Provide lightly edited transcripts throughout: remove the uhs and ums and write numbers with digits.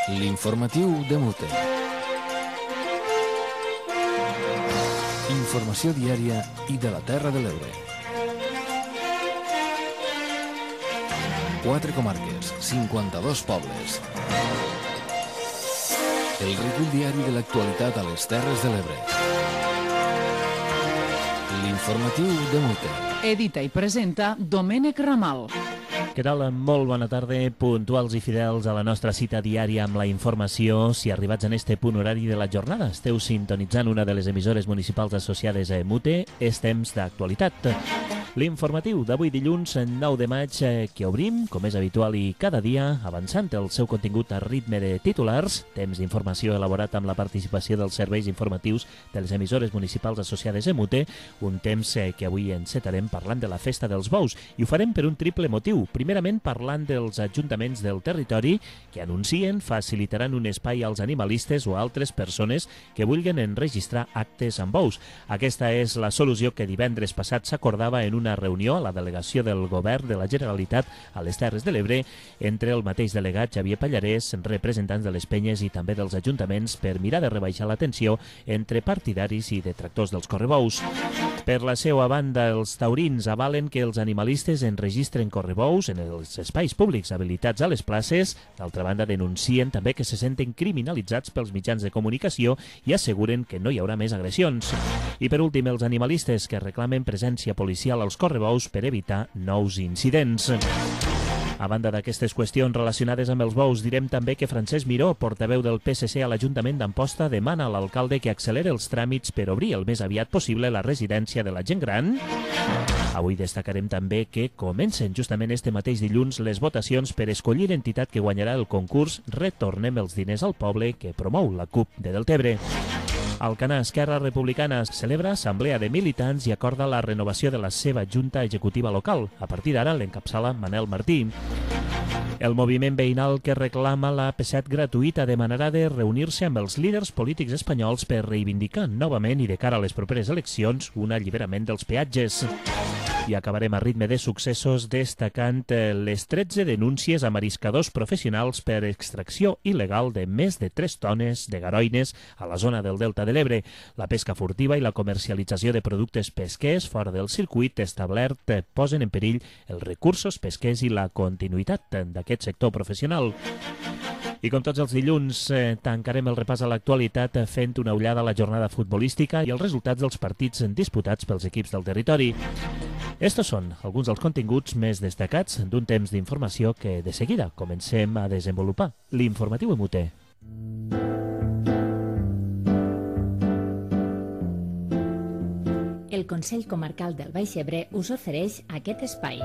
L'informatiu de Mute. Informació diària i de la Terra de l'Ebre. 4 comarques, 52 pobles. El recull diari de l'actualitat a les Terres de l'Ebre. L'informatiu de Mute. Edita i presenta Domènec Ramal. Què tal? Molt bona tarda, puntuals i fidels a la nostra cita diària amb la informació. Si arribats en este punt horari de la jornada esteu sintonitzant una de les emissores municipals associades a Mute, és temps d'actualitat. L'informatiu d'avui dilluns 9 de maig que obrim, com és habitual i cada dia, avançant el seu contingut a ritme de titulars, temps d'informació elaborat amb la participació dels serveis informatius de les emissores municipals associades a Mute, un temps que avui encetarem parlant de la Festa dels Bous, i ho farem per un triple motiu. Primerament parlant dels ajuntaments del territori que anuncien facilitaran un espai als animalistes o a altres persones que vulguin enregistrar actes amb bous. Aquesta és la solució que divendres passat s'acordava en una reunió a la delegació del Govern de la Generalitat a les Terres de l'Ebre entre el mateix delegat Xavier Pallarès, representants de les penyes i també dels ajuntaments per mirar de rebaixar la tensió entre partidaris i detractors dels correbous. Per la seva banda, els taurins avalen que els animalistes enregistren correbous en els espais públics habilitats a les places. D'altra banda, denuncien també que se senten criminalitzats pels mitjans de comunicació i asseguren que no hi haurà més agressions. I per últim, els animalistes que reclamen presència policial als correbous per evitar nous incidents. A banda d'aquestes qüestions relacionades amb els bous, direm també que Francesc Miró, portaveu del PSC a l'Ajuntament d'Amposta, demana a l'alcalde que accelere els tràmits per obrir el més aviat possible la residència de la gent gran. Avui destacarem també que comencen justament este mateix dilluns les votacions per escollir entitat que guanyarà el concurs Retornem els diners al poble que promou la CUP de Deltebre. Alcanar, Esquerra Republicana, celebra assemblea de militants i acorda la renovació de la seva junta executiva local. A partir d'ara l'encapçala Manel Martí. El moviment veïnal que reclama la P7 gratuïta demanarà de reunir-se amb els líders polítics espanyols per reivindicar novament i de cara a les properes eleccions un alliberament dels peatges. I acabarem a ritme de successos destacant les 13 denúncies a mariscadors professionals per extracció il·legal de més de 3 tones de garoines a la zona del Delta de l'Ebre. La pesca furtiva i la comercialització de productes pesquers fora del circuit establert posen en perill els recursos pesquers i la continuïtat d'aquest sector professional. I com tots els dilluns, tancarem el repàs a l'actualitat fent una ullada a la jornada futbolística i els resultats dels partits disputats pels equips del territori. Estos són alguns dels continguts més destacats d'un temps d'informació que de seguida comencem a desenvolupar. L'informatiu en Mute. El Consell Comarcal del Baix Ebre us ofereix aquest espai.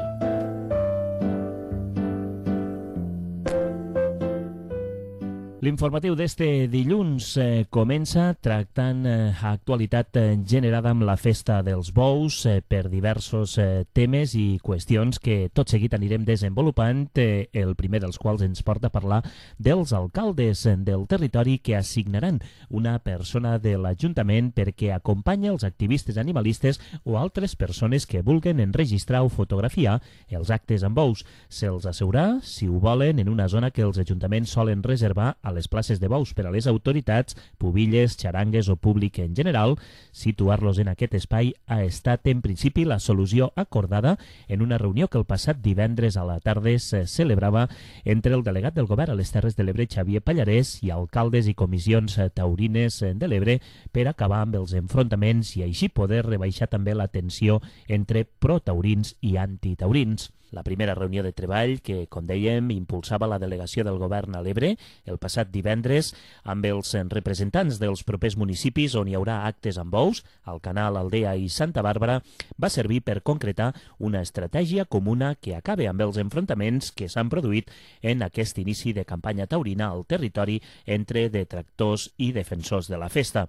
L'informatiu d'este dilluns comença tractant actualitat generada amb la Festa dels Bous per diversos temes i qüestions que tot seguit anirem desenvolupant, el primer dels quals ens porta a parlar dels alcaldes del territori que assignaran una persona de l'Ajuntament perquè acompanyi els activistes animalistes o altres persones que vulguen enregistrar o fotografiar els actes amb bous. Se'ls asseurà, si ho volen, en una zona que els ajuntaments solen reservar a les places de bous per a les autoritats, pubilles, xarangues o públic en general. Situar-los en aquest espai ha estat en principi la solució acordada en una reunió que el passat divendres a la tarda se celebrava entre el delegat del Govern a les Terres de l'Ebre, Xavier Pallarès, i alcaldes i comissions taurines de l'Ebre per acabar amb els enfrontaments i així poder rebaixar també la tensió entre protaurins i antitaurins. La primera reunió de treball que, com dèiem, impulsava la delegació del Govern a l'Ebre el passat divendres amb els representants dels propers municipis on hi haurà actes amb bous, Alcanar, Aldea i Santa Bàrbara, va servir per concretar una estratègia comuna que acabe amb els enfrontaments que s'han produït en aquest inici de campanya taurina al territori entre detractors i defensors de la festa.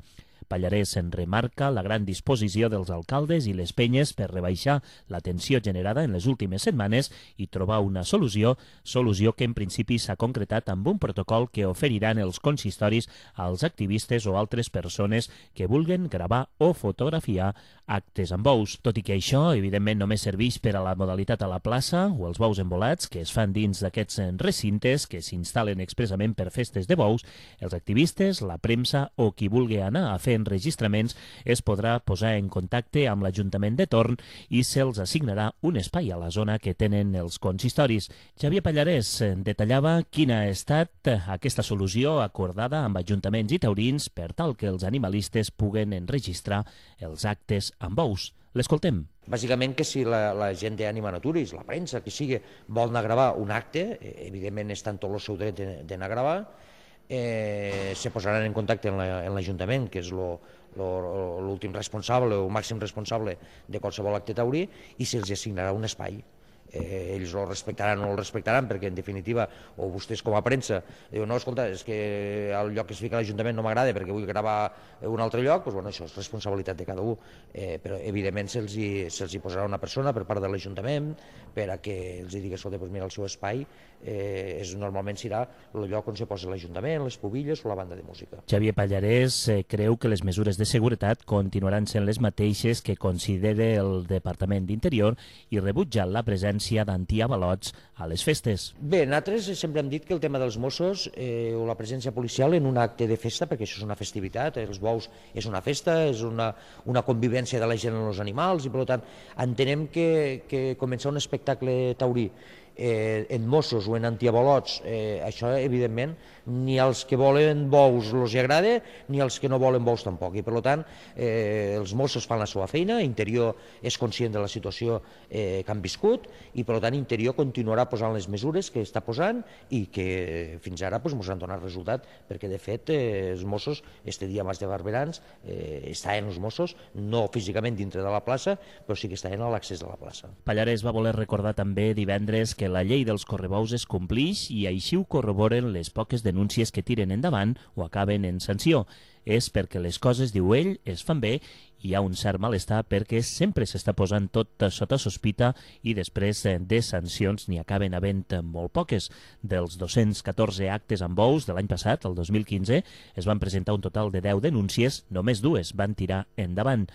Pallarès en remarca la gran disposició dels alcaldes i les penyes per rebaixar la tensió generada en les últimes setmanes i trobar una solució que en principi s'ha concretat amb un protocol que oferiran els consistoris als activistes o altres persones que vulguen gravar o fotografiar actes amb bous, tot i que això, evidentment, només serveix per a la modalitat a la plaça o els bous embolats que es fan dins d'aquests recintes que s'instal·len expressament per festes de bous. Els activistes, la premsa o qui vulgui anar a fer enregistraments es podrà posar en contacte amb l'Ajuntament de torn i se'ls assignarà un espai a la zona que tenen els consistoris. Xavier Pallarès detallava quina ha estat aquesta solució acordada amb ajuntaments i taurins per tal que els animalistes puguen enregistrar els actes amb bous. L'escoltem. Bàsicament que si la gent d'Ànima Naturis, la premsa, que sigui, vol anar a gravar un acte, evidentment està en tot el seu dret d'anar a gravar, se posaran en contacte amb l'Ajuntament, que és l'últim responsable o màxim responsable de qualsevol acte taurí, i se'ls assignarà un espai. Ells el respectaran o no el respectaran, perquè en definitiva, o vostès com a premsa diuen, no, escolta, és que el lloc que es fica a l'Ajuntament no m'agrada perquè vull gravar un altre lloc, doncs, bueno, això és responsabilitat de cada un, però evidentment se'ls hi posarà una persona per part de l'Ajuntament per a que els digui, escolta, doncs mira, el seu espai normalment serà el lloc on se posa l'Ajuntament, les pubilles o la banda de música. Xavier Pallarès creu que les mesures de seguretat continuaran sent les mateixes que considera el Departament d'Interior i rebutja la presència d'antiavalots a les festes. Bé, nosaltres sempre hem dit que el tema dels Mossos o la presència policial en un acte de festa, perquè això és una festivitat, els bous és una festa, és una convivència de la gent amb els animals i per tant entenem que començar un espectacle taurí en Mossos o en antiavalots, això evidentment ni als que volen bous els agrada ni als que no volen bous tampoc, i per tant els Mossos fan la seva feina, Interior és conscient de la situació que han viscut i per tant Interior continuarà posant les mesures que està posant i que fins ara ens han donat resultat, perquè de fet els Mossos, este dia Mas de Barberans, estaven els Mossos no físicament dintre de la plaça, però sí que estaven a l'accés de la plaça. Pallarès va voler recordar també divendres que la llei dels correbous es complix i així ho corroboren les poques denúncies que tiren endavant o acaben en sanció. És perquè les coses, diu ell, es fan bé i hi ha un cert malestar perquè sempre s'està posant tot sota sospita i després de sancions n'hi acaben havent molt poques. Dels 214 actes amb bous de l'any passat, el 2015, es van presentar un total de 10 denúncies, només 2 van tirar endavant.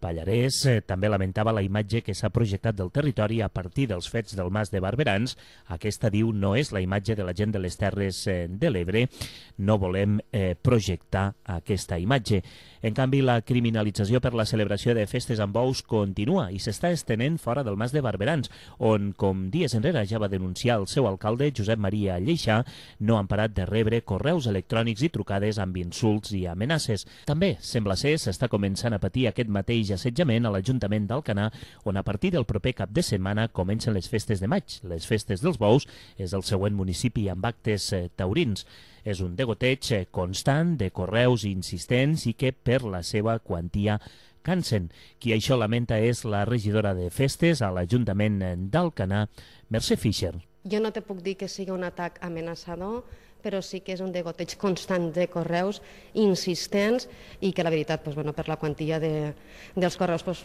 Pallarès també lamentava la imatge que s'ha projectat del territori a partir dels fets del Mas de Barberans. Aquesta, diu, no és la imatge de la gent de les Terres de l'Ebre. No volem projectar aquesta imatge. En canvi, la criminalització per la celebració de festes amb bous continua i s'està estenent fora del Mas de Barberans, on, com dies enrere ja va denunciar el seu alcalde, Josep Maria Lleixà, no han parat de rebre correus electrònics i trucades amb insults i amenaces. També, sembla ser, s'està començant a patir aquest mateix assetjament a l'Ajuntament d'Alcanar, on a partir del proper cap de setmana comencen les festes de maig. Les festes dels bous és el següent municipi amb actes taurins. És un degoteig constant de correus insistents i que per la seva quantia cansen. Qui això lamenta és la regidora de festes a l'Ajuntament d'Alcanar, Mercè Fischer. Jo no te puc dir que sigui un atac amenaçador, però sí que és un degoteig constant de correus insistents i que la veritat, per la quantia dels correus,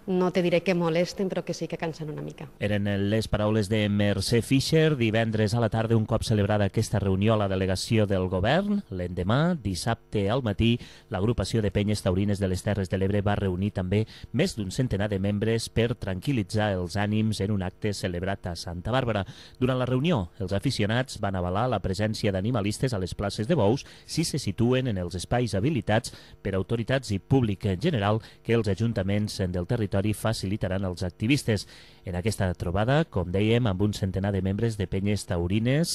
no te diré que molesten, però que sí que cansen una mica. Eren les paraules de Mercè Fischer divendres a la tarda, un cop celebrada aquesta reunió a la delegació del govern. L'endemà, dissabte al matí, l'agrupació de penyes taurines de les Terres de l'Ebre va reunir també més d'un centenar de membres per tranquil·litzar els ànims en un acte celebrat a Santa Bàrbara. Durant la reunió, els aficionats van avalar la presència d'animalistes a les places de bous si se situen en els espais habilitats per autoritats i públic en general que els ajuntaments del territori facilitaran als activistes. En aquesta trobada, com dèiem, amb un centenar de membres de penyes taurines,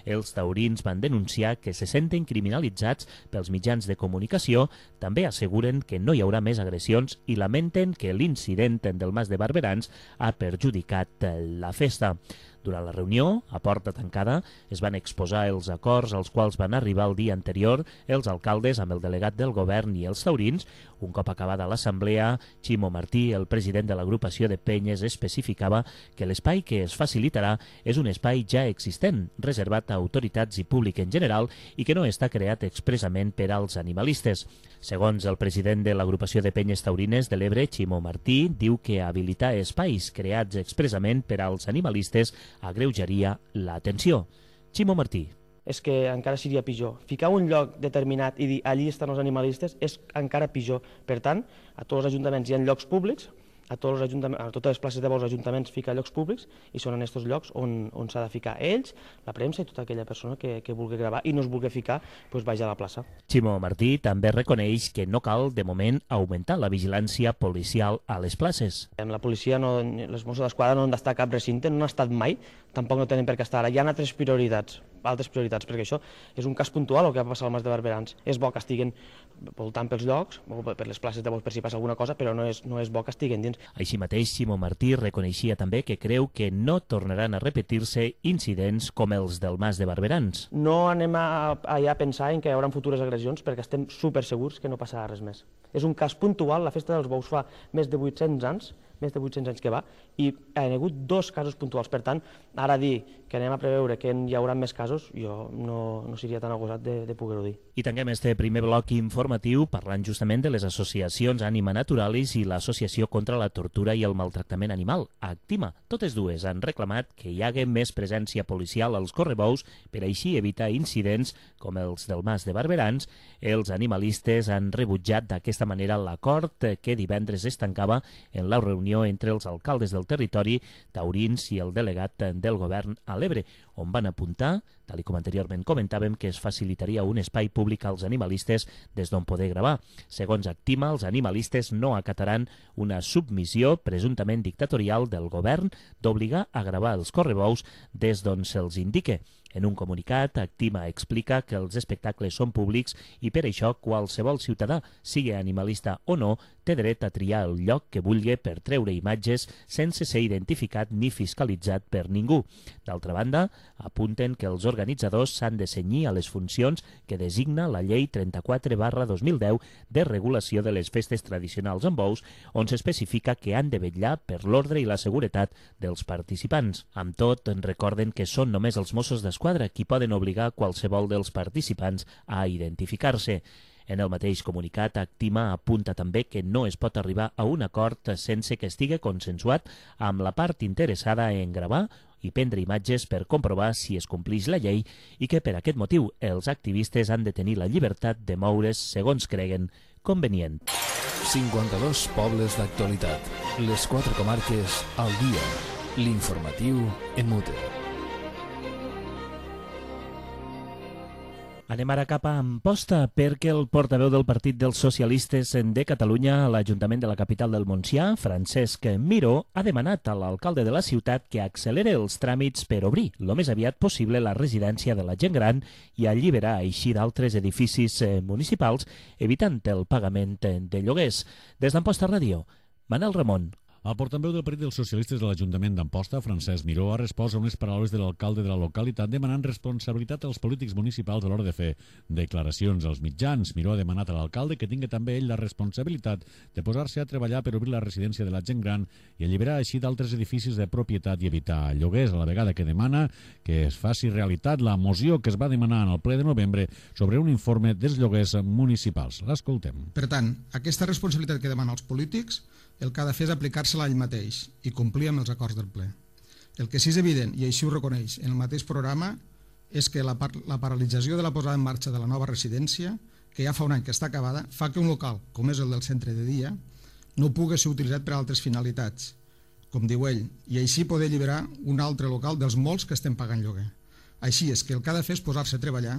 els taurins van denunciar que se senten criminalitzats pels mitjans de comunicació, també asseguren que no hi haurà més agressions i lamenten que l'incident del Mas de Barberans ha perjudicat la festa. Durant la reunió, a porta tancada, es van exposar els acords als quals van arribar el dia anterior els alcaldes amb el delegat del govern i els taurins. Un cop acabada l'assemblea, Ximo Martí, el president de l'agrupació de penyes, especificava que l'espai que es facilitarà és un espai ja existent, reservat a autoritats i públic en general i que no està creat expressament per als animalistes. Segons el president de l'agrupació de penyes taurines de l'Ebre, Ximo Martí, diu que habilitar espais creats expressament per als animalistes agreujaria l'atenció. Ximo Martí. és que encara seria pitjor. Ficar un lloc determinat i dir allí estan els animalistes és encara pitjor. Per tant, a tots els ajuntaments hi ha llocs públics, a totes les places de bous ajuntaments fica llocs públics i són en aquests llocs on s'ha de ficar ells, la premsa i tota aquella persona que vulgui gravar i no es vulgui ficar, doncs vaja a la plaça. Ximo Martí també reconeix que no cal, de moment, augmentar la vigilància policial a les places. La policia, les Mossos d'Esquadra no han d'estar a cap recinte, no han estat mai, tampoc no tenen per què estar ara. Hi ha altres prioritats, perquè això és un cas puntual el que va passar al Mas de Barberans. És bo que estiguin voltant pels llocs, o per les places de bous per si passa alguna cosa, però no és bo que estiguin dins. Així mateix, Ximo Martí reconeixia també que creu que no tornaran a repetir-se incidents com els del Mas de Barberans. No anem allà a pensar en que hi haurà futures agressions perquè estem super segurs que no passarà res més. És un cas puntual, la festa dels bous fa més de 800 anys que va, i hi ha hagut 2 casos puntuals. Per tant, ara dir que anem a preveure que hi haurà més casos, jo no seria tan agosat de poder-ho dir. I tanquem este primer bloc informatiu parlant justament de les associacions Anima Naturalis i l'Associació contra la Tortura i el Maltractament Animal, Actima. Totes dues han reclamat que hi hagi més presència policial als correbous per així evitar incidents com els del Mas de Barberans. Els animalistes han rebutjat d'aquesta manera l'acord que divendres es tancava en la reunió entre els alcaldes del territori, taurins i el delegat del govern a l'Ebre, on van apuntar, tal com anteriorment comentàvem, que es facilitaria un espai públic als animalistes des d'on poder gravar. Segons Actima, els animalistes no acataran una submissió presumptament dictatorial del govern d'obligar a gravar els correbous des d'on se'ls indique. En un comunicat, Actima explica que els espectacles són públics i per això qualsevol ciutadà, sigui animalista o no, té dret a triar el lloc que vulgui per treure imatges sense ser identificat ni fiscalitzat per ningú. D'altra banda, apunten que els organitzadors s'han de cenyir a les funcions que designa la Llei 34/2010 de regulació de les festes tradicionals amb bous, on s'especifica que han de vetllar per l'ordre i la seguretat dels participants. Amb tot, recorden que són només els Mossos d'Esquadra qui poden obligar qualsevol dels participants a identificar-se. En el mateix comunicat, Actima apunta també que no es pot arribar a un acord sense que estigui consensuat amb la part interessada en gravar i prendre imatges per comprovar si es complix la llei i que per aquest motiu els activistes han de tenir la llibertat de moure's segons creguen convenient. 52 pobles d'actualitat. Les 4 comarques al dia. L'informatiu en Mute. Anem ara cap a Amposta perquè el portaveu del Partit dels Socialistes de Catalunya a l'Ajuntament de la capital del Montsià, Francesc Miró, ha demanat a l'alcalde de la ciutat que accelere els tràmits per obrir el més aviat possible la residència de la gent gran i alliberar així d'altres edificis municipals, evitant el pagament de lloguers. Des d'Amposta Ràdio, Manel Ramon. El portaveu del Partit dels Socialistes de l'Ajuntament d'Amposta, Francesc Miró, ha respost a unes paraules de l'alcalde de la localitat demanant responsabilitat als polítics municipals a l'hora de fer declaracions als mitjans. Miró ha demanat a l'alcalde que tingui també ell la responsabilitat de posar-se a treballar per obrir la residència de la gent gran i alliberar així d'altres edificis de propietat i evitar lloguers, a la vegada que demana que es faci realitat la moció que es va demanar en el ple de novembre sobre un informe dels lloguers municipals. L'escoltem. Per tant, aquesta responsabilitat que demana als polítics, el que ha de fer és aplicar-se-la ell mateix i complir amb els acords del ple. El que sí és evident, i així ho reconeix en el mateix programa, és que la paralització de la posada en marxa de la nova residència, que ja fa un any que està acabada, fa que un local, com és el del centre de dia, no pugui ser utilitzat per a altres finalitats, com diu ell, i així poder alliberar un altre local dels molts que estem pagant lloguer. Així és que el que ha de fer és posar-se a treballar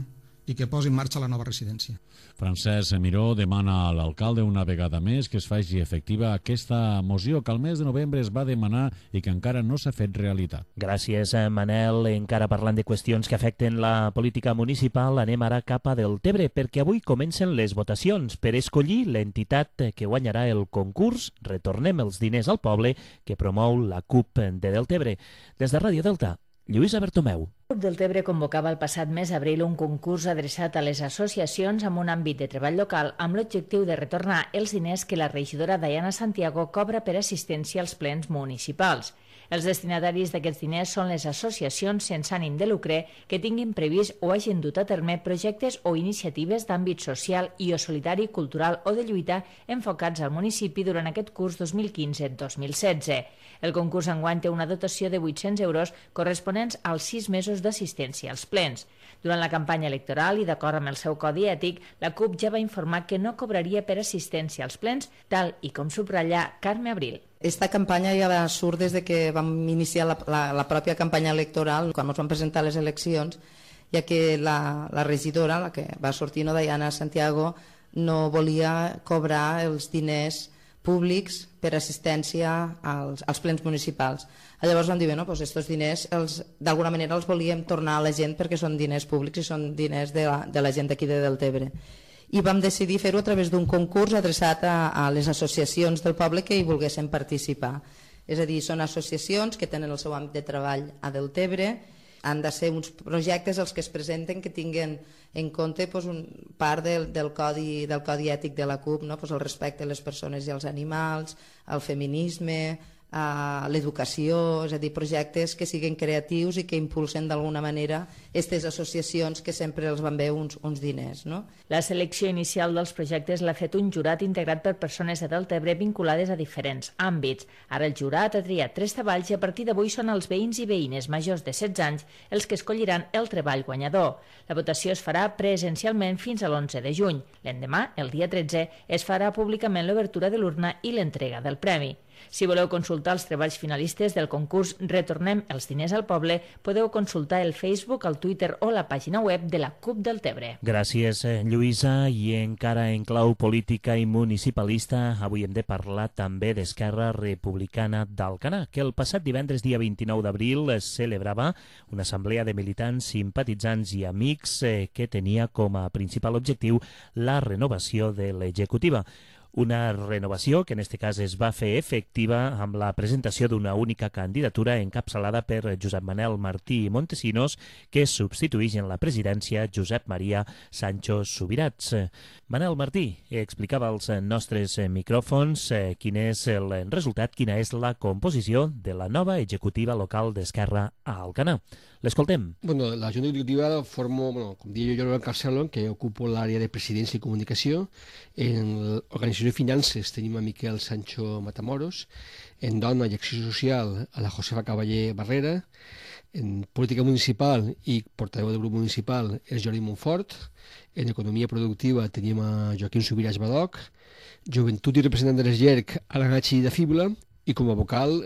i que posi en marxa la nova residència. Francesc Miró demana a l'alcalde una vegada més que es faci efectiva aquesta moció que al mes de novembre es va demanar i que encara no s'ha fet realitat. Gràcies, Manel. Encara parlant de qüestions que afecten la política municipal, anem ara cap a Deltebre, perquè avui comencen les votacions per escollir l'entitat que guanyarà el concurs Retornem els diners al poble que promou la CUP de Deltebre. Des de Ràdio Delta, Lluïsa Bertomeu. El CUP Deltebre convocava el passat mes d'abril un concurs adreçat a les associacions amb un àmbit de treball local amb l'objectiu de retornar els diners que la regidora Diana Santiago cobra per assistència als plens municipals. Els destinataris d'aquests diners són les associacions sense ànim de lucre que tinguin previst o hagin dut a terme projectes o iniciatives d'àmbit social i o solidari, cultural o de lluita enfocats al municipi durant aquest curs 2015-2016. El concurs enguany té una dotació de 800 euros corresponents als 6 mesos d'assistència als plens. Durant la campanya electoral i d'acord amb el seu codi ètic, la CUP ja va informar que no cobraria per assistència als plens, tal i com subratlla Carme Abril. Esta campanya ja surt des de que vam iniciar la pròpia campanya electoral, quan ens vam presentar les eleccions, ja que la regidora, la que va sortir, Diana Santiago, no volia cobrar els diners públics per assistència als plens municipals. Llavors vam dir, estos diners d'alguna manera els volíem tornar a la gent perquè són diners públics i són diners de la gent d'aquí de Deltebre. I vam decidir fer-ho a través d'un concurs adreçat a les associacions del poble que hi volguessin participar. És a dir, són associacions que tenen el seu àmbit de treball a Deltebre, han de ser uns projectes els que es presenten que tinguen en compte part del codi ètic de la CUP, el respecte a les persones i als animals, el feminisme, l'educació, és a dir, projectes que siguin creatius i que impulsen d'alguna manera aquestes associacions que sempre els van bé uns diners. La selecció inicial dels projectes l'ha fet un jurat integrat per persones de Deltebre vinculades a diferents àmbits. Ara el jurat ha triat 3 treballs i a partir d'avui són els veïns i veïnes majors de 16 anys els que escolliran el treball guanyador. La votació es farà presencialment fins a l'11 de juny. L'endemà, el dia 13, es farà públicament l'obertura de l'urna i l'entrega del premi. Si voleu consultar els treballs finalistes del concurs Retornem els diners al poble, podeu consultar el Facebook, el Twitter o la pàgina web de la CUP Deltebre. Gràcies, Lluïsa. I encara en clau política i municipalista, avui hem de parlar també d'Esquerra Republicana d'Alcanar, que el passat divendres, dia 29 d'abril, es celebrava una assemblea de militants, simpatitzants i amics que tenia com a principal objectiu la renovació de l'executiva. Una renovació que en aquest cas es va fer efectiva amb la presentació d'una única candidatura encapçalada per Josep Manel Martí Montesinos, que substitueix en la presidència Josep Maria Sancho Subirats. Manel Martí explicava als nostres micròfons quin és el resultat, quina és la composició de la nova executiva local d'Esquerra a Alcanar. L'escoltem. La Junta Executiva la formo, com dic jo, el Carcelon, que ocupo l'àrea de presidència i comunicació. En l'organització de finances tenim a Miquel Sancho Matamoros. En dona i acció social a la Josefa Cavaller Barrera. En política municipal i portaveu del grup municipal és Jordi Montfort. En economia productiva tenim a Joaquim Subirats Badoc. Joventut i representant de l'ESGERC a la Nachi de Fibla. I com a vocal,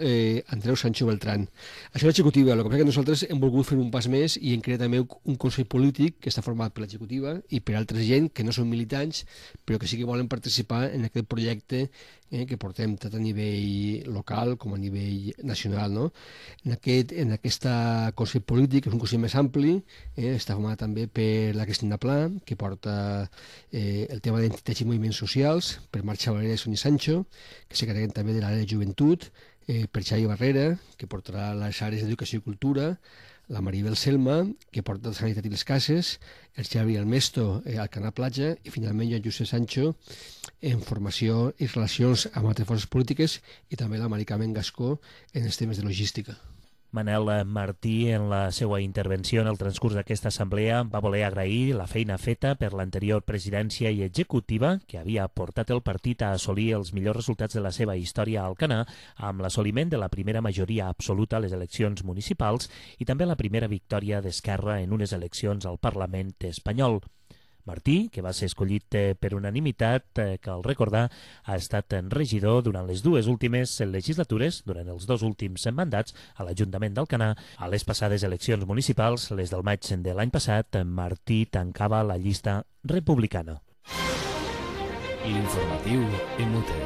Andreu Sancho Beltrán. Això és l'executiva, el que passa que nosaltres hem volgut fer un pas més i hem creat també un consell polític que està format per l'executiva i per altra gent que no són militants, però que sí que volen participar en aquest projecte que portem tant a nivell local com a nivell nacional. En aquest consell polític, que és un consell més ampli, està format també per la Cristina Pla, que porta el tema d'entitats i moviments socials, per Marc Xavalera i Sonia Sancho, que s'encarreguen també de l'àrea de joventut, per Xavi Barrera, que portarà les àrees d'educació i cultura, la Maribel Selma, que porta la sanitat i les cases, el Xavi Almesto, al Canal Platja, i finalment jo, Josep Sancho, en formació i relacions amb altres forces polítiques, i també la Mari Carmen Gascó en els temes de logística. Manel Martí, en la seva intervenció en el transcurs d'aquesta assemblea, va voler agrair la feina feta per l'anterior presidència i executiva que havia portat el partit a assolir els millors resultats de la seva història a Alcanar amb l'assoliment de la primera majoria absoluta a les eleccions municipals i també la primera victòria d'Esquerra en unes eleccions al Parlament espanyol. Martí, que va ser escollit per unanimitat, cal recordar, ha estat regidor durant les 2 últimes legislatures, durant els 2 últims mandats a l'Ajuntament d'Alcanar. A les passades eleccions municipals, les del maig de l'any passat, Martí tancava la llista republicana. L'informatiu MUT.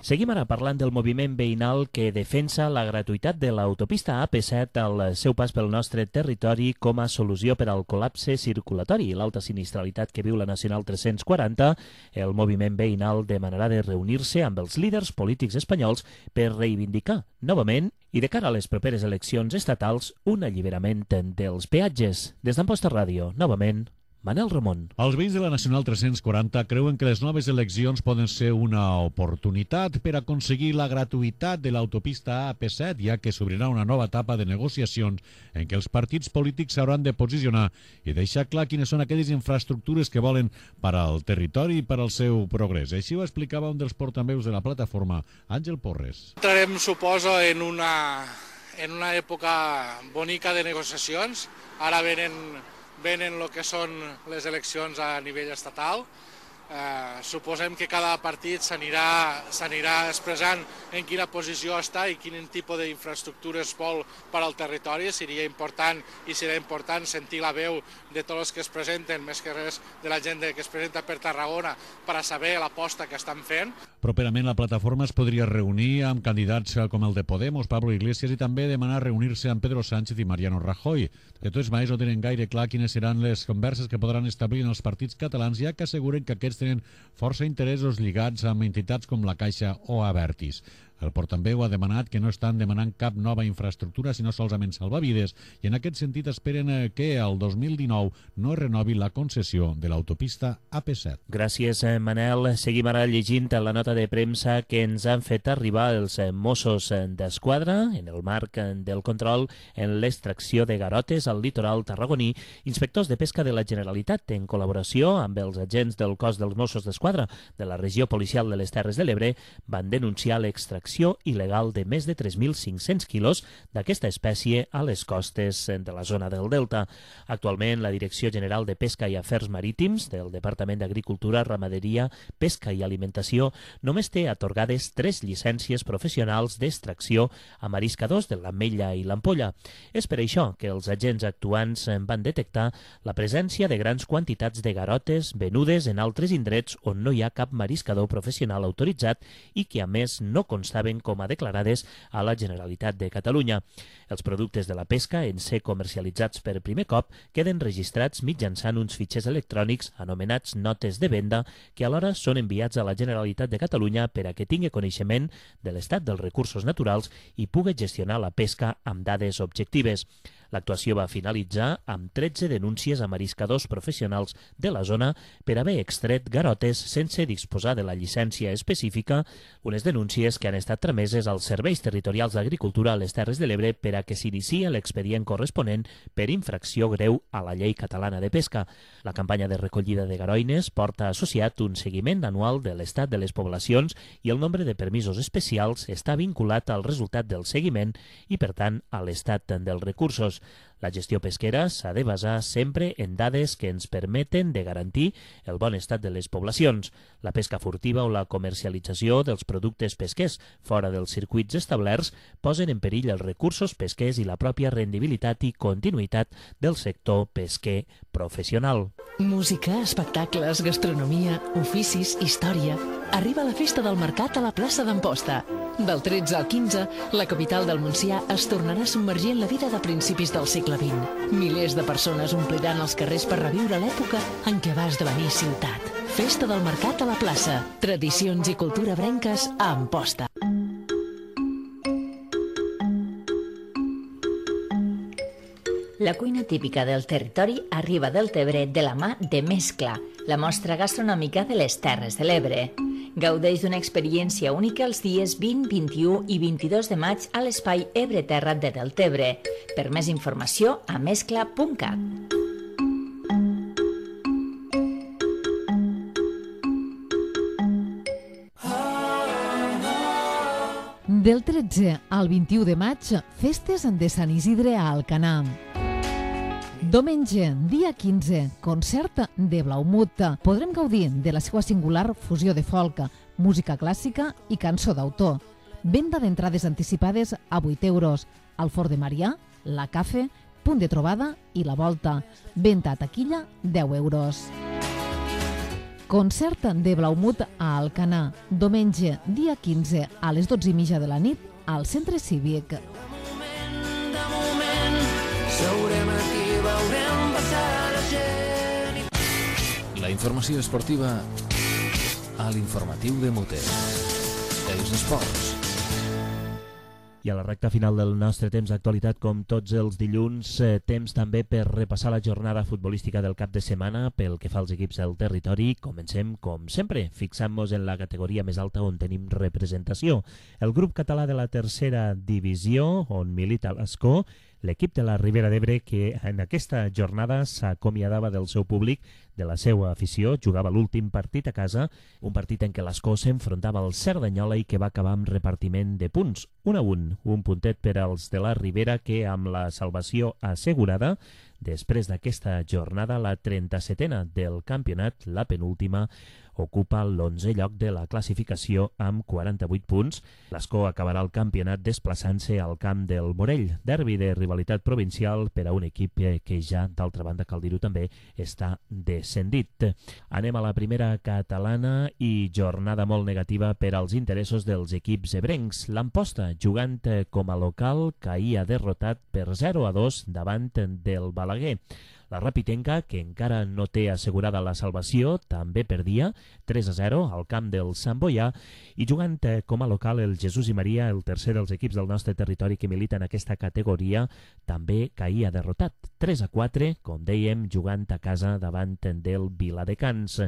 Seguim ara parlant del moviment veïnal que defensa la gratuïtat de l'autopista AP7 al seu pas pel nostre territori com a solució per al col·lapse circulatori i l'alta sinistralitat que viu la Nacional 340. El moviment veïnal demanarà de reunir-se amb els líders polítics espanyols per reivindicar novament i de cara a les properes eleccions estatals un alliberament dels peatges. Des d'Amposta Ràdio, novament, Manel Ramon. Els veïns de la Nacional 340 creuen que les noves eleccions poden ser una oportunitat per aconseguir la gratuïtat de l'autopista AP7, ja que s'obrirà una nova etapa de negociacions en què els partits polítics s'hauran de posicionar i deixar clar quines són aquelles infraestructures que volen per al territori i per al seu progrés. Així ho explicava un dels portaveus de la plataforma, Àngel Porres. Entrarem, suposo, en una època bonica de negociacions. Ara venen el que són les eleccions a nivell estatal. Suposem que cada partit s'anirà expressant en quina posició està i quin tipus d'infraestructures vol per al territori. Seria important sentir la veu de tots els que es presenten, més que res de la gent que es presenta per Tarragona, per a saber l'aposta que estan fent. Properament la plataforma es podria reunir amb candidats com el de Podemos, Pablo Iglesias, i també demanar reunir-se amb Pedro Sánchez i Mariano Rajoy. De tots manera, no tenen gaire clar quines seran les converses que podran establir en els partits catalans, ja que asseguren que aquests tenen força interessos lligats amb entitats com la Caixa o Abertis. El portaveu ha demanat que no estan demanant cap nova infraestructura, sinó solament salvavides, i en aquest sentit esperen que el 2019 no es renovi la concessió de l'autopista AP7. Gràcies, Manel. Seguim ara llegint la nota de premsa que ens han fet arribar els Mossos d'Esquadra en el marc del control en l'extracció de garotes al litoral tarragoní. Inspectors de pesca de la Generalitat, en col·laboració amb els agents del cos dels Mossos d'Esquadra de la regió policial de les Terres de l'Ebre, van denunciar l'extracció il·legal de més de 3.500 quilos d'aquesta espècie a les costes de la zona del Delta. Actualment, la Direcció General de Pesca i Afers Marítims del Departament d'Agricultura, Ramaderia, Pesca i Alimentació només té atorgades 3 llicències professionals d'extracció a mariscadors de l'Ametlla i l'Ampolla. És per això que els agents actuants van detectar la presència de grans quantitats de garotes venudes en altres indrets on no hi ha cap mariscador professional autoritzat i que, a més, no constaven com a declarades a la Generalitat de Catalunya. Els productes de la pesca, en ser comercialitzats per primer cop, queden registrats mitjançant uns fitxers electrònics anomenats notes de venda, que alhora són enviats a la Generalitat de Catalunya per a que tingui coneixement de l'estat dels recursos naturals i pugui gestionar la pesca amb dades objectives. L'actuació va finalitzar amb 13 denúncies a mariscadors professionals de la zona per haver extret garotes sense disposar de la llicència específica, unes denúncies que han estat trameses als serveis territorials d'agricultura a les Terres de l'Ebre per a que s'iniciï l'expedient corresponent per infracció greu a la llei catalana de pesca. La campanya de recollida de garoines porta associat un seguiment anual de l'estat de les poblacions i el nombre de permisos especials està vinculat al resultat del seguiment i, per tant, a l'estat dels recursos. La gestió pesquera s'ha de basar sempre en dades que ens permeten de garantir el bon estat de les poblacions. La pesca furtiva o la comercialització dels productes pesquers fora dels circuits establerts posen en perill els recursos pesquers i la pròpia rendibilitat i continuïtat del sector pesquer professional. Música, espectacles, gastronomia, oficis, història. Arriba la Festa del Mercat a la plaça d'Amposta. Del 13 al 15, la capital del Montsià es tornarà a submergir en la vida de principis del segle XX. Milers de persones ompliran els carrers per reviure l'època en què va esdevenir ciutat. Festa del Mercat a la plaça. Tradicions i cultura brenques a Amposta. La cuina típica del territori arriba del Tebre de la mà de Mescla, la mostra gastronòmica de les Terres de l'Ebre. Gaudeix d'una experiència única els dies 20, 21 i 22 de maig a l'espai Ebre Terra de Deltebre. Per més informació, a mescla.cat. Del 13 al 21 de maig, festes de Sant Isidre a Alcanar. Diumenge, dia 15, concert de Blaumut. Podrem gaudir de la seva singular fusió de folk, música clàssica i cançó d'autor. Venda d'entrades anticipades a 8 euros. Al Fort de Marià, la Cafe, Punt de Trobada i la Volta. Venda a taquilla, 10 euros. Concert de Blaumut a Alcanar. Diumenge, dia 15, a les 12:30 de la nit, al Centre Cívic. Seurem aquí, veurem passar la gent. La informació esportiva a l'informatiu de Mute. Els esports. I a la recta final del nostre temps d'actualitat, com tots els dilluns, temps també per repassar la jornada futbolística del cap de setmana pel que fa als equips del territori. Comencem, com sempre, fixant-nos en la categoria més alta on tenim representació. El grup català de la tercera divisió, on milita l'Escó, l'equip de la Ribera d'Ebre, que en aquesta jornada s'acomiadava del seu públic, de la seva afició, jugava l'últim partit a casa, un partit en què l'Escó s'enfrontava al Cerdanyola i que va acabar amb repartiment de punts, 1-1, un puntet per als de la Ribera que, amb la salvació assegurada, després d'aquesta jornada, la 37a del campionat, la penúltima, ocupa l'11è lloc de la classificació amb 48 punts. L'Escó acabarà el campionat desplaçant-se al camp del Morell, derbi de rivalitat provincial per a un equip que ja, d'altra banda, cal dir-ho també, està descendit. Anem a la primera catalana i jornada molt negativa per als interessos dels equips ebrencs. L'Amposta, jugant com a local, caïa derrotat per 0-2 davant del Balaguer. La Rapitenca, que encara no té assegurada la salvació, també perdia 3-0 al camp del Sant Boià, i jugant com a local el Jesús i Maria, el tercer dels equips del nostre territori que milita en aquesta categoria, també caïa derrotat 3-4, com dèiem, jugant a casa davant del Viladecans.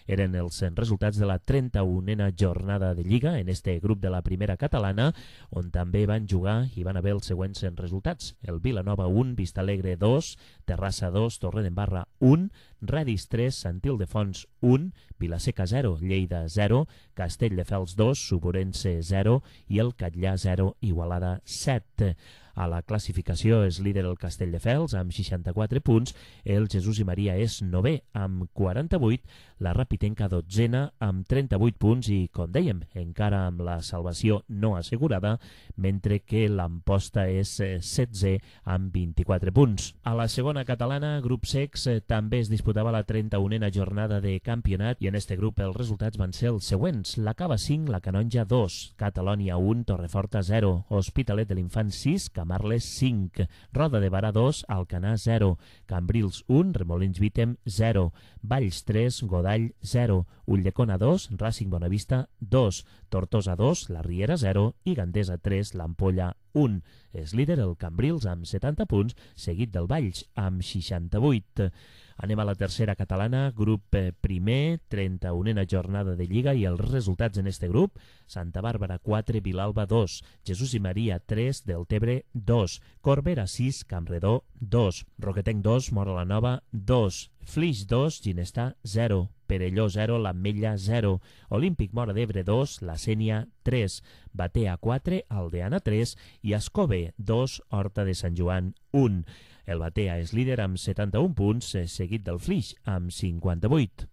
Eren els resultats de la 31a jornada de Lliga en este grup de la primera catalana, on també van jugar i van haver els següents resultats. El Vilanova 1, Vistalegre 2, Terrassa 2, Torredembarra 1, Redis 3, Sant Ildefons 1, Vilaseca 0, Lleida 0, Castelldefels 2, Suburense 0 i el Catllà 0, Igualada 7. A la classificació és líder el Castelldefels amb 64 punts, el Jesús i Maria és 9è amb 48, la Rapitenca 12a amb 38 punts i, com dèiem, encara amb la salvació no assegurada, mentre que l'Amposta és 16è amb 24 punts. A la segona catalana, grup secs, també es disputava la 31a jornada de campionat i en este grup els resultats van ser els següents. La Cava 5, la Canonja 2, Catalònia 1, Torreforta 0, Hospitalet de l'Infant 6, Camarles 5, Roda de Barà 2, Alcanar 0, Cambrils 1, Remolins Vítem 0, Valls 3, Godall 0, Ulldecona 2, Racing Bonavista 2, Tortosa 2, La Riera 0 i Gandesa 3, l'Ampolla 1. És líder el Cambrils amb 70 punts, seguit del Valls amb 68. Anem a la tercera catalana, grup primer, 31a jornada de Lliga i els resultats en este grup: Santa Bàrbara 4, Vilalba 2, Jesús i Maria 3, Deltebre 2, Corbera 6, Campredó 2, Roquetenc 2, Móra la Nova 2, Flix 2, Ginestà 0, Perelló 0, l'Ametlla 0, Olímpic Móra d'Ebre 2, la Sénia 3, Batea 4, Aldeana 3 i Escove 2, Horta de Sant Joan 1. El Batea és líder amb 71 punts, seguit del Flix amb 58.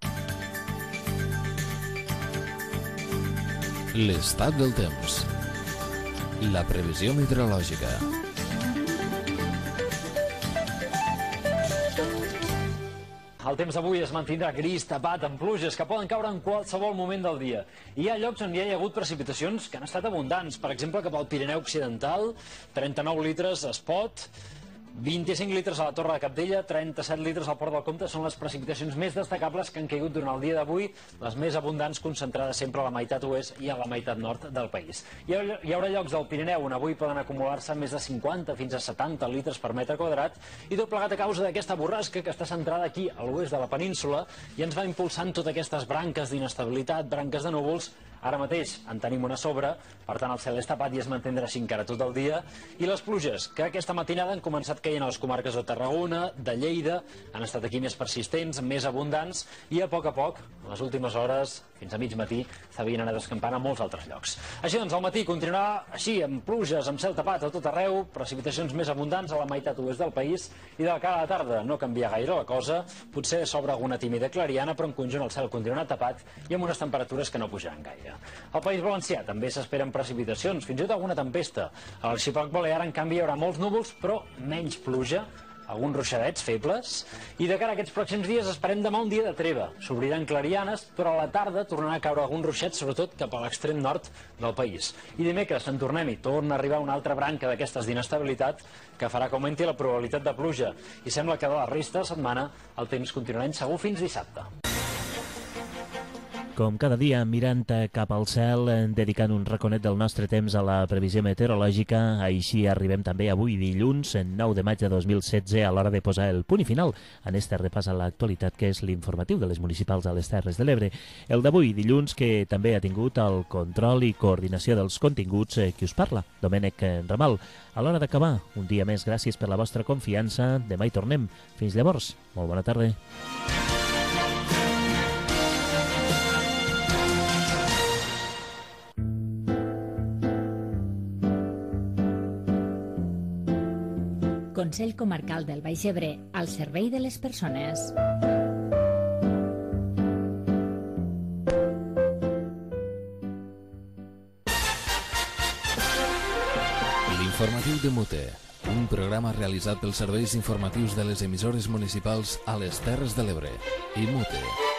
L'estat del temps. La previsió meteorològica. El temps d'avui es mantindrà gris, tapat, amb pluges que poden caure en qualsevol moment del dia. Hi ha llocs on hi ha hagut precipitacions que han estat abundants. Per exemple, cap al Pirineu Occidental, 39 litres a Espot, 25 litres a la Torre de Cabdella, 37 litres al Port del Comte. Són les precipitacions més destacables que han caigut durant el dia d'avui, les més abundants concentrades sempre a la meitat oest i a la meitat nord del país. Hi haurà llocs del Pirineu on avui poden acumular-se més de 50 fins a 70 litres per metre quadrat, i tot plegat a causa d'aquesta borrasca que està centrada aquí a l'oest de la península i ens va impulsant totes aquestes branques d'inestabilitat, branques de núvols. Ara mateix en tenim una sobre, per tant el cel és tapat i es mantindrà així encara tot el dia. I les pluges, que aquesta matinada han començat caient a les comarques de Tarragona, de Lleida, han estat aquí més persistents, més abundants, i a poc, en les últimes hores, fins a mig matí, s'havien anat escampant a molts altres llocs. Així doncs, al matí continuarà així, amb pluges, amb cel tapat a tot arreu, precipitacions més abundants a la meitat oest del país, i de cara a la tarda no canvia gaire la cosa, potser s'obre alguna tímida clariana, però en conjunt el cel continuarà tapat i amb unes temperatures que no pujaran gaire. Al País Valencià també s'esperen precipitacions, fins i tot alguna tempesta. A l'arxipèlag balear, en canvi, hi haurà molts núvols, però menys pluja, alguns ruixadets febles, i de cara a aquests pròxims dies esperem demà un dia de treva. S'obriran clarianes, però a la tarda tornarà a caure algun ruixet, sobretot cap a l'extrem nord del país. I dimecres en tornem i torna a arribar una altra branca d'aquestes d'inestabilitat que farà que augmenti la probabilitat de pluja, i sembla que de la resta de setmana el temps continuarà insegur fins dissabte. Com cada dia, mirant cap al cel, dedicant un raconet del nostre temps a la previsió meteorològica. Així arribem també avui dilluns, 9 de maig de 2016, a l'hora de posar el punt i final en este repàs a l'actualitat, que és l'informatiu de les municipals a les Terres de l'Ebre. El d'avui dilluns, que també ha tingut el control i coordinació dels continguts, qui us parla, Domènec Ramal. A l'hora d'acabar, un dia més, gràcies per la vostra confiança. Demà hi tornem. Fins llavors, molt bona tarda. Consell Comarcal del Baix Ebre, al servei de les persones. L'informatiu de Mute, un programa realitzat pels serveis informatius de les emissores municipals a les Terres de l'Ebre i Mute.